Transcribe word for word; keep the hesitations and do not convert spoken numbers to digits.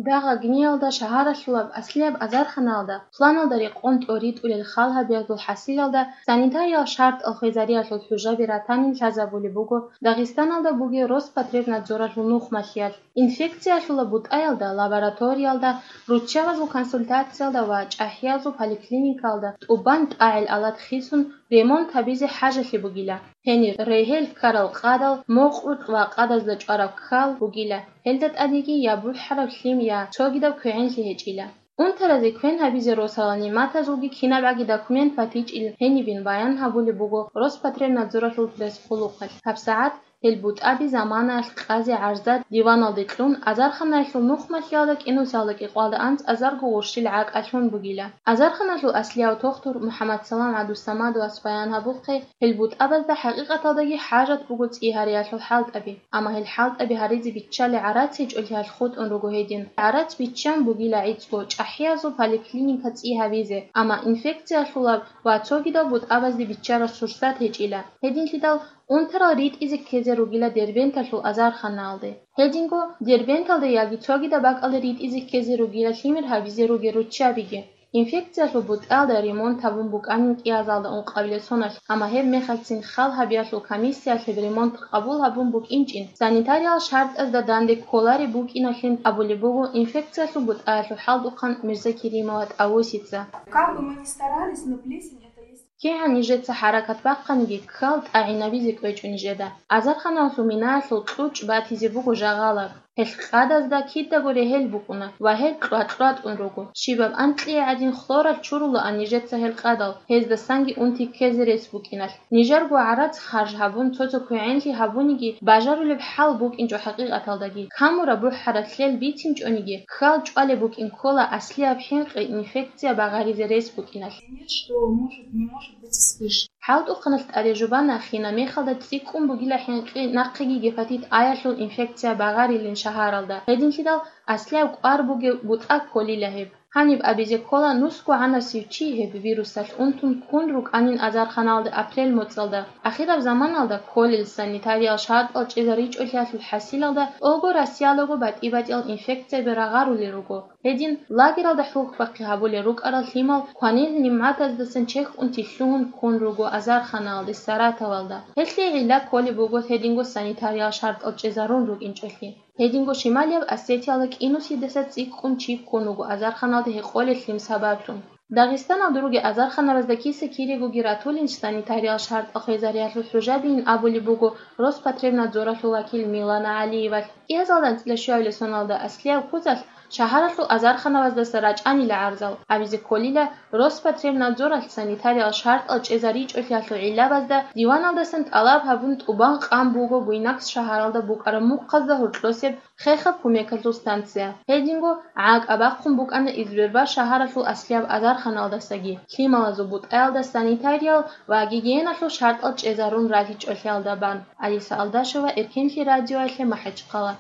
Дагъа гниялда шагьаралъулаб аслияб азарханалда планалда рекъон тӀоритӀулел халгьабиязул хӀасилалда санитариял шартӀал хвезариялъул хӀужаби ратанин лъазабулеб буго Дагъистаналда бугеб Роспотребнадзоралъул нухмалъиялъ. Инфекциялъула бутӀаялда, лабораториялда, руччабазул консультациялда ва чӀахӀиязул поликлиникалда тӀубан тӀагӀел алат хисун ремонт гьабизе хӀажалъи бугила. Гьенир регьел ккарал къадал, мокърукь ва къадазда чӀвараб ккал бугила. Гьелда тӀадеги я бухӀараб лъим, я цогидаб квегӀенлъи гьечӀила. Унтаразе квен гьабизе росалал нигӀматазулги кинабгӀаги документ батичӀил гьенибин баян гьабулеб буго Роспотребнадзоралъул пресс-къулухъалъ. ГьабсагӀат гьел бутӀаби заманаялъ къази-гӀарзда диваналде кьун, азарханаялъул нухмалъиялда кӀинусиялда кӀикъоялда анцӀазарго гъурщил гӀакӀалъун бугила. Азарханалъул аслияв тохтур МухӀаммадсалам ГӀабдусамадовас баян гьабухъе, гьел бутӀабазда хӀакъикъаталдаги хӀажат буго цӀи гьариялъул хӀалтӀаби. Амма гьел хӀалтӀаби гьаризе биччалей гӀарац гьечӀолъиялъ хутӀун руго гьедин. ГӀарац биччан бугила гӀицӀго чӀахӀиязул поликлиника цӀи гьабизе, амма инфекциялъулаб ва цогидал бутӀабазде биччараб сурсат гьечӀила. Гьединлъидал унтарал ритӀизе ккезе ругила Дербенталъул азарханаялде. Гьединго Дербенталда яги цогидаб бакӀалда ритӀизе ккезе ругила лъимер гьабизе ругел руччабиги. Инфекциялъул бутӀаялда ремонт гьабун букӀанин кӀиазалда ункъабилеб соналъ, амма гьеб мехалъцин хал гьабиялъул комиссиялъ гьеб ремонт къабул гьабун букӀинчӀин, санитариял шартӀазда данде кколареб букӀиналъин абулеб буго инфекциялъул бутӀаялъул хӀалтӀухъан Мирзакеримова ТӀавусица. Как бы мы ни старались, но плесень это есть. КигӀан нижеца хӀаракат бахъаниги, ккал тӀагӀинабизе кӀвечӀо нижеда. Азарханалъул минаялъул кьучӀ батизе буго жагъалаб. Гьелъ къадазда кидаго регьел букӀуна ва гьел кьва-кьватӀун руго. Щибаб анкьие гӀадин хлоралъ чурулаан нижеца гьел къадал, гьездасанги унти ккезе рес букӀиналъ. Нижерго гӀарац харж гьабун, цо-цо квегӀенлъи гьабуниги, бажарулеб хӀал букӀинчӀо хӀакъикъаталдаги. Камураб бухӀараб лъел бицинчӀониги, ккал чӀвалеб букӀин ккола аслияб хӀинкъи инфекция багъаризе рес букӀиналъ. Нет, что может, не может быть вспыш. ХӀалтӀухъаналъ тӀаде жубана хина мехалда цӀикӀкӀун бугила хӀинкъи нахъеги гепатит А-ялъул инфекция багъарилин шагьаралда. Гьединлъидал аслияб кӀвар бугеб бутӀа кколила гьеб. Гьаниб абизе ккола нусго гӀанасев чи гьеб вирусалъ унтун ккун рукӀанин азарханалда апрель моцӀалда. Ахираб заманалда кколел санитариял шартӀал чӀезаричӀолъиялъул хӀасилалда тӀолго Россиялаго батӀи-батӀиял инфекцияби рагъарулел руго. Гьедин, лагералда хӀухьбахъи гьабулел рукӀарал лъимал кванил нигӀматаздасан чехьунти лъугьун ккун руго азарханаялде Саратовалда. Гьелъие гӀилла кколеб буго гьединго санитариял шартӀал чӀезарун рукӀинчӀолъи. Гьединго Шималияб Осетиялда кӀинусидаса цӀикӀкӀун чи ккун вуго азарханалде гьекъолел лъим сабаблъун. Дагъистаналда ругел азарханабазда киса-кирегоги ратулин санитариял шартӀал хвезариялъул хӀужабийин абулеб буго Роспотребнадзоралъул вакил Милана ГӀалиевалъ. КӀиазалда анцӀила щуабилеб соналда аслияб ккузалъ шагьаралъул азарханабаздаса рачӀанила гӀарзал, абизе кколила Роспотребнадзоралъ санитариял шартӀал чӀезаричӀолъиялъул гӀиллабазда диваналдасан тӀалаб гьабун тӀубан къан буго Буйнакск шагьаралда букӀараб мухъазда гьоркьосеб хехаб кумекалъул станция. Гьединго гӀакӀ абахъун букӀана Избербаш шагьаралъул аслияб азарханалдасаги, лъималазул бутӀаялда санитариял ва гигиеналъул шартӀал чӀезарун ралъичӀолъиялда бан. Алиса Алдашева, Эркенлъи радиоялъе, МахӀачхъала.